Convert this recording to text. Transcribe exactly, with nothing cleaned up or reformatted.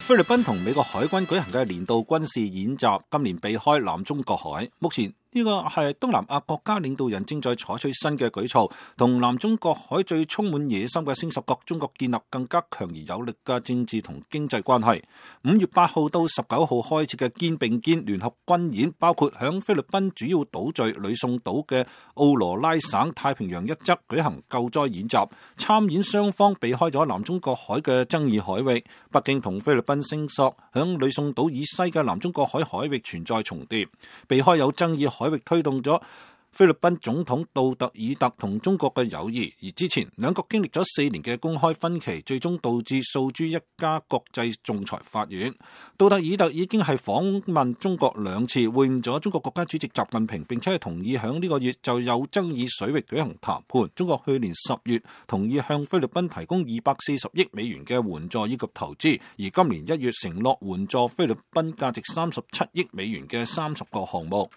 菲律賓同美國海軍舉行嘅年度軍事演習，今年避開南中國海。目前呢個係東南亞國家領導人正在採取新嘅舉措，同南中國海最充滿野心嘅星十國中國建立更加強而有力嘅政治同經濟關係。五月八號到十九號開始嘅肩並肩聯合軍演，包括響菲律賓主要島嶼呂宋島嘅奧羅拉省太平洋一側舉行救災演習。參演雙方避開咗南中國海嘅爭議海域。北京同菲律賓聲索響呂宋島以西嘅南中國海海域存在重疊，避開有爭議海域推動咗菲律賓總統杜特爾特同中國嘅友誼，而之前兩國經歷咗四年嘅公開分歧，最終導致訴諸一家國際仲裁法院。杜特爾特已經係訪問中國兩次，會晤咗中國國家主席習近平，並且係同意響呢個月就有爭議水域舉行談判。中國去年十月同意向菲律賓提供二百四十億美元嘅援助以及投資，而今年一月承諾援助菲律賓價值三十七億美元嘅三十個項目。